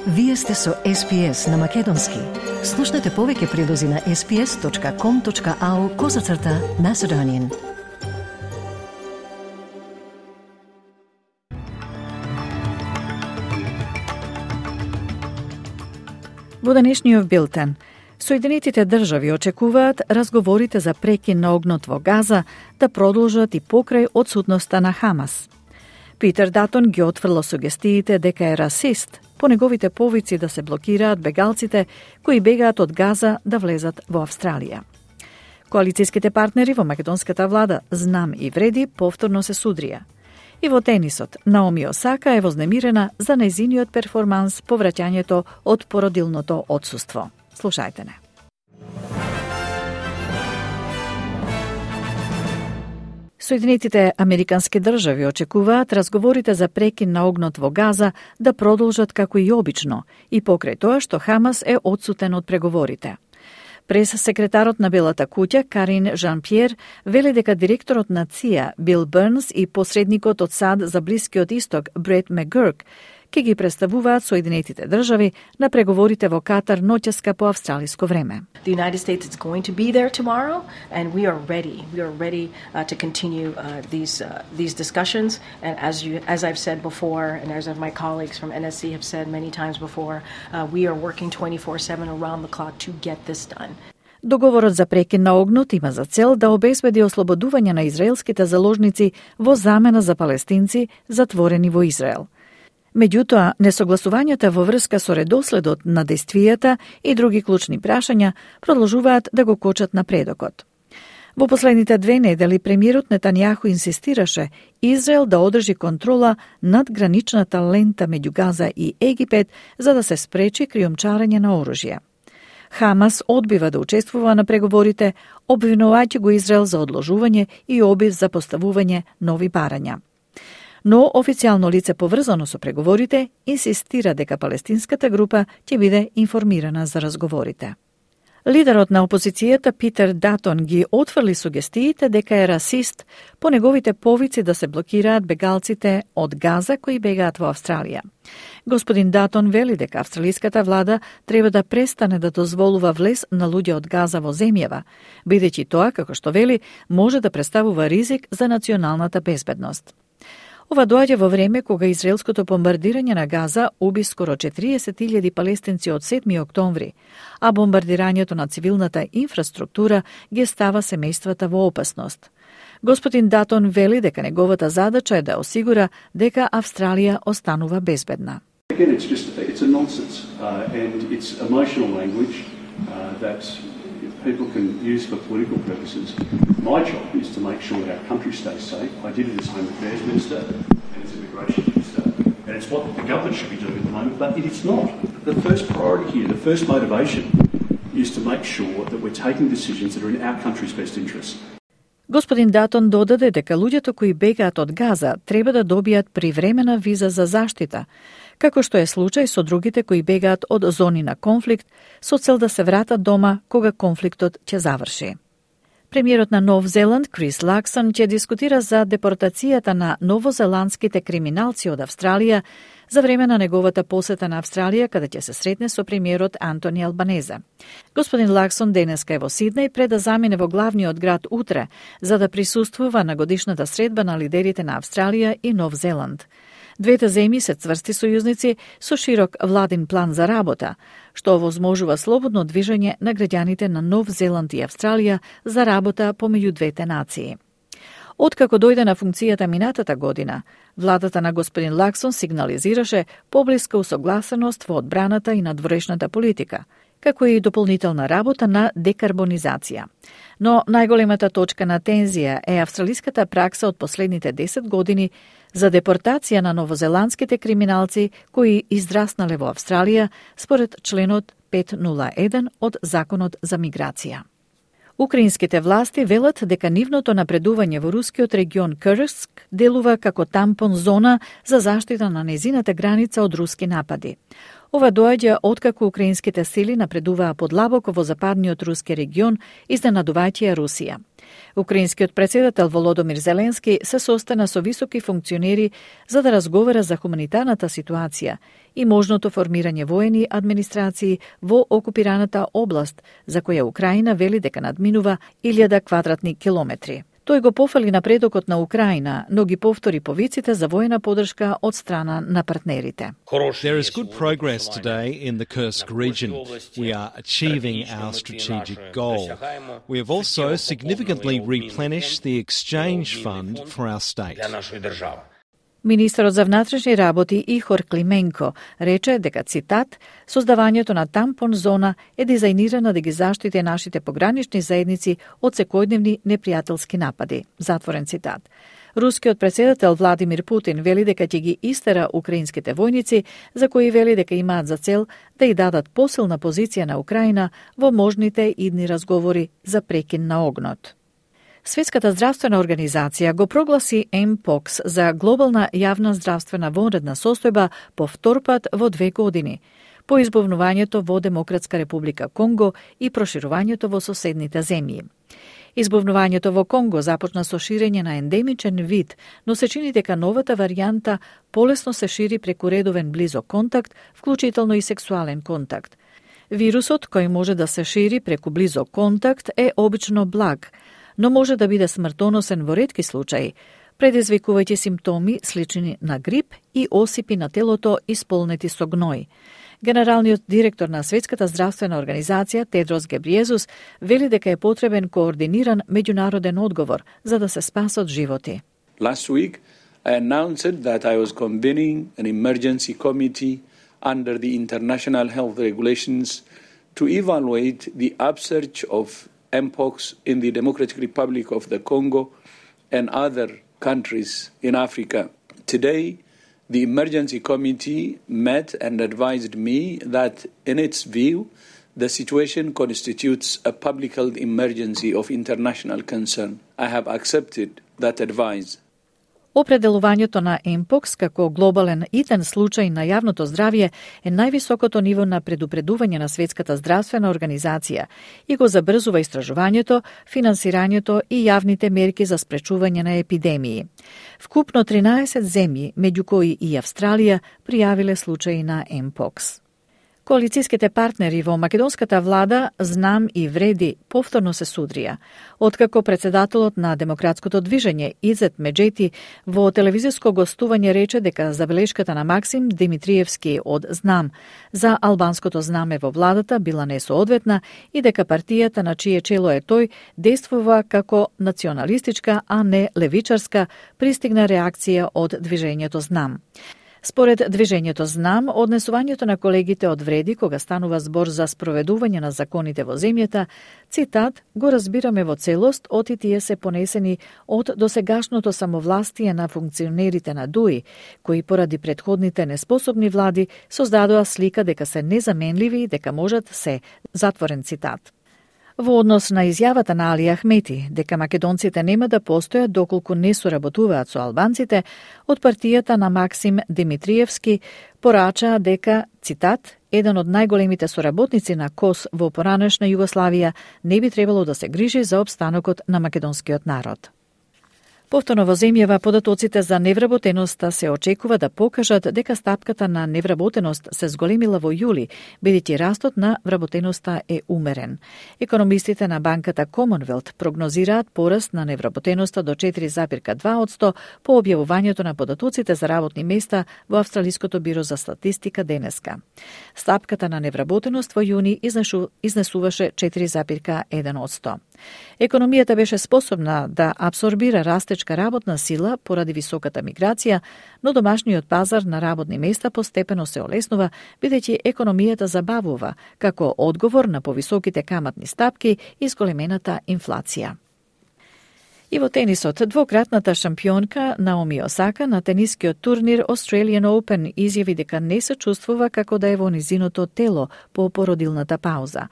Вие сте со SPS на Македонски. Слушнете повеќе прилози на sps.com.au/Macedonian. Во денешниот билтен, Соединетите држави очекуваат разговорите за прекин на огнот во Газа да продолжат и покрај одсутноста на Хамас. Питер Датон ги отфрла сугестиите дека е расист по неговите повици да се блокираат бегалците кои бегаат од Газа да влезат во Австралија. Коалицијските партнери во македонската влада Знам и Вреди повторно се судрија. И во тенисот, Наоми Осака е вознемирена за нејзиниот перформанс по враќањето од породилното отсуство. Слушајте не. Соединетите американски држави очекуваат разговорите за прекин на огнот во Газа да продолжат како и обично и покрај тоа што Хамас е одсутен од преговорите. Прес-секретарот на Белата куќа, Карин Жан-Пьер, вели дека директорот на ЦИА, Бил Бернс и посредникот од САД за Блискиот Исток, Брет Мегурк, ке ги представуваат Соединетите држави на преговорите во Катар ноќеска по австралиско време. The United States is going to be there tomorrow, and we are ready. We are ready to continue these discussions. And as I've said before, and as my colleagues from NSC have said many times before, we are working 24/7 around the clock to get this done. Договорот за прекин на огнот има за цел да обезбеди ослободување на израелските заложници во замена за палестинци затворени во Израел. Меѓутоа, несогласувањата во врска со редоследот на действијата и други клучни прашања продолжуваат да го кочат напредокот. Во последните 2 недели премиерот Нетањаху инсистираше Израел да одржи контрола над граничната лента меѓу Газа и Египет за да се спречи криумчарење на оружје. Хамас одбива да учествува на преговорите, обвинувајќи го Израел за одложување и обид за поставување нови барања. Но официјално лице поврзано со преговорите инсистира дека палестинската група ќе биде информирана за разговорите. Лидерот на опозицијата Питер Датон ги отфрли сугестиите дека е расист по неговите повици да се блокираат бегалците од Газа кои бегаат во Австралија. Господин Датон вели дека австралиската влада треба да престане да дозволува влез на луѓе од Газа во земјава, бидејќи тоа, како што вели, може да представува ризик за националната безбедност. Ова доаѓа во време кога израелското бомбардирање на Газа уби скоро 40.000 палестинци од 7 октомври, а бомбардирањето на цивилната инфраструктура ги става семејствата во опасност. Господин Датон вели дека неговата задача е да осигура дека Австралија останува безбедна. Again, it's a nonsense and it's emotional language that people can use for political purposes. My job is to make sure that our country stays safe. I did it as Home Affairs Minister and as Immigration Minister, and it's what the government should be doing at the moment, but it is not. The first priority here, the first motivation is to make sure that we're taking decisions that are in our country's best interest. Господин Датон додаде дека луѓето кои бегаат од Газа треба да добијат привремена виза за заштита, како што е случај со другите кои бегаат од зони на конфликт со цел да се вратат дома кога конфликтот ќе заврши. Премиерот на Нов Зеланд, Крис Лаксон, ќе дискутира за депортацијата на новозеландските криминалци од Австралија за време на неговата посета на Австралија, каде ќе се сретне со премиерот Антони Албанезе. Господин Лаксон денеска е во Сиднеј пред да замине во главниот град утре, за да присуствува на годишната средба на лидерите на Австралија и Нов Зеланд. Двете земји се цврсти сојузници со широк владин план за работа, што овозможува слободно движење на граѓаните на Нов Зеланд и Австралија за работа помеѓу двете нации. Откако дојде на функцијата минатата година, владата на господин Лаксон сигнализираше поблиска усогласеност во одбраната и надворешната политика, како и дополнителна работа на декарбонизација. Но најголемата точка на тензија е австралиската пракса од последните 10 години за депортација на новозеландските криминалци кои израснале во Австралија според членот 501 од Законот за миграција. Украинските власти велат дека нивното напредување во рускиот регион Курск делува како тампон зона за заштита на незината граница од руски напади. Ова доаѓа откако украинските сили напредуваа подлабоко во западниот руски регион, изненадувајќи ја Русија. Украинскиот председател Володомир Зеленски се состана со високи функционери за да разговара за хуманитарната ситуација и можното формирање воени администрации во окупираната област, за која Украина вели дека надминува 1000 квадратни километри. Тој го пофали напредокот на Украина, но ги повтори повиците за воена поддршка од страна на партнерите. There is good progress today in the Kursk region. We are achieving our strategic goal. We have also significantly replenished the exchange fund for our state. Министерот за внатрешни работи Ихор Клименко рече дека, цитат, создавањето на тампон зона е дизајнирана да ги заштити нашите погранични заедници од секојдневни непријателски напади. Затворен цитат. Рускиот председател Владимир Путин вели дека ќе ги истера украинските војници, за кои вели дека имаат за цел да ја дадат посилна позиција на Украина во можните идни разговори за прекин на огнот. Светската здравствена организација го прогласи Mpox за глобална јавна здравствена вонредна состојба по втор пат во 2 години, по избувнувањето во Демократска република Конго и проширувањето во соседните земји. Избувнувањето во Конго започна со ширење на ендемичен вид, но се чини дека новата варијанта полесно се шири преку редовен близок контакт, вклучително и сексуален контакт. Вирусот кој може да се шири преку близок контакт е обично благ, но може да биде смртоносен во ретки случаи, предизвикувајќи симптоми слични на грип и осипи на телото исполнети со гној. Генералниот директор на Светската здравствена организација Тедрос Гебриезус вели дека е потребен координиран меѓународен одговор за да се спасат животи. Last week I announced that I was convening an emergency committee under the international health regulations to evaluate the upsurge of Mpox in the Democratic Republic of the Congo and other countries in Africa. Today, the emergency committee met and advised me that, in its view, the situation constitutes a public health emergency of international concern. I have accepted that advice. Определувањето на Mpox како глобален итен случај на јавното здравје е највисокото ниво на предупредување на Светската здравствена организација и го забрзува истражувањето, финансирањето и јавните мерки за спречување на епидемии. Вкупно 13 земји, меѓу кои и Австралија, пријавиле случаи на Mpox. Коалицијските партнери во македонската влада Знам и Вреди повторно се судрија, откако председателот на Демократското движење Изет Меджети во телевизиско гостување рече дека забелешката на Максим Димитриевски од Знам за албанското знаме во владата била несоодветна и дека партијата на чие чело е тој действува како националистичка, а не левичарска, пристигна реакција од движењето Знам. Според движењето Знам, однесувањето на колегите од Вреди кога станува збор за спроведување на законите во земјата, цитат, го разбираме во целост, оти тие се понесени од досегашното самовластие на функционерите на ДУИ, кои поради претходните неспособни влади создадоа слика дека се незаменливи и дека можат се, затворен цитат. Во однос на изјавата на Али Ахмети дека македонците нема да постојат доколку не соработуваат со албанците, од партијата на Максим Димитриевски порачаа дека, цитат, еден од најголемите соработници на КОС во поранешна Југославија не би требало да се грижи за опстанокот на македонскиот народ. Повторно во земјава податоците за невработеноста се очекува да покажат дека стапката на невработеност се зголемила во јули, бидејќи растот на вработеноста е умерен. Економистите на банката Commonwealth прогнозираат пораст на невработеноста до 4,2% по објавувањето на податоците за работни места во Австралиското биро за статистика денеска. Стапката на невработеност во јуни изнесуваше 4,1%. Економијата беше способна да абсорбира растечка работна сила поради високата миграција, но домашниот пазар на работни места постепено се олеснува, бидејќи економијата забавува како одговор на повисоките каматни стапки и зголемената инфлација. И во тенисот, двократната шампионка Наоми Осака на тенискиот турнир Australian Open изјави дека не се чувствува како да е во низиното тело по породилната пауза.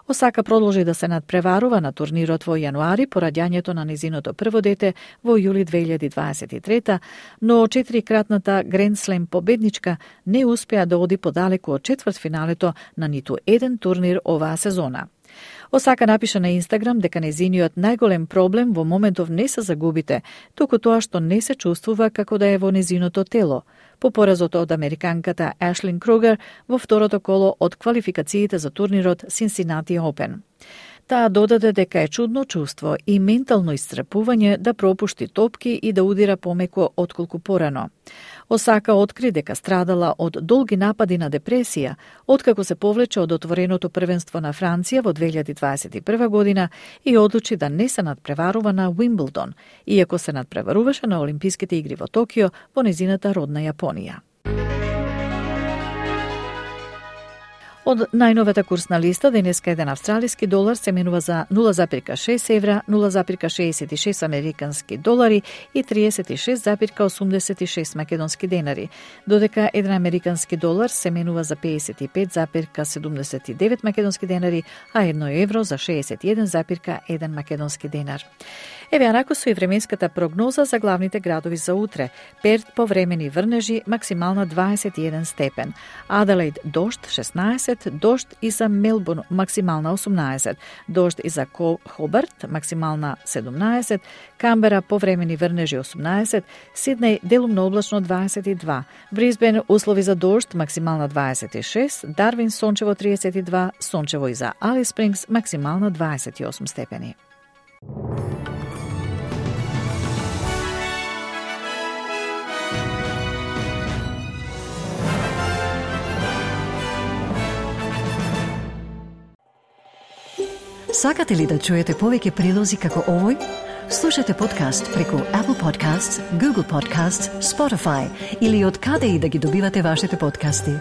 Осака продолжи да се надпреварува на турнирот во јануари по раѓањето на незиното прво дете во јули 2023, но 4-кратната Гранд Слем победничка не успеа да оди подалеку од четвртфиналето на ниту еден турнир оваа сезона. Осака напиша на Инстаграм дека незиниот најголем проблем во моментов не се загубите, туку тоа што не се чувствува како да е во незиното тело, по поразот од американката Ашлин Кругер во второто коло од квалификациите за турнирот Cincinnati Open. Таа додаде дека е чудно чувство и ментално исцрпување да пропушти топки и да удира помеко отколку порано. Осака откри дека страдала од долги напади на депресија, откако се повлече од отвореното првенство на Франција во 2021 година и одлучи да не се надпреварува на Уимблдон, иако се надпреваруваше на Олимписките игри во Токио во незината родна Јапонија. Од најновата курсна листа, денеска еден австралиски долар се менува за 0,6 евра, 0,66 американски долари и 36,86 македонски денари, додека еден американски долар се менува за 55,79 македонски денари, а едно евро за 61,1 македонски денар. Еве анако со и временската прогноза за главните градови за утре. Перт повремени врнежи, максимална 21 степен. Аделаид дожд 16, дожд и за Мелбурн максимална 18, дожд и за Хобарт максимална 17, Камбера повремени врнежи 18, Сиднеј делумно облачно 22, Брисбен услови за дожд максимална 26, Дарвин сончево 32, сончево и за Алис Спрингс максимална 28 степени. Сакате ли да чуете повеќе прилози како овој? Слушате подкаст преку Apple Podcasts, Google Podcasts, Spotify или од каде и да ги добивате вашите подкасти.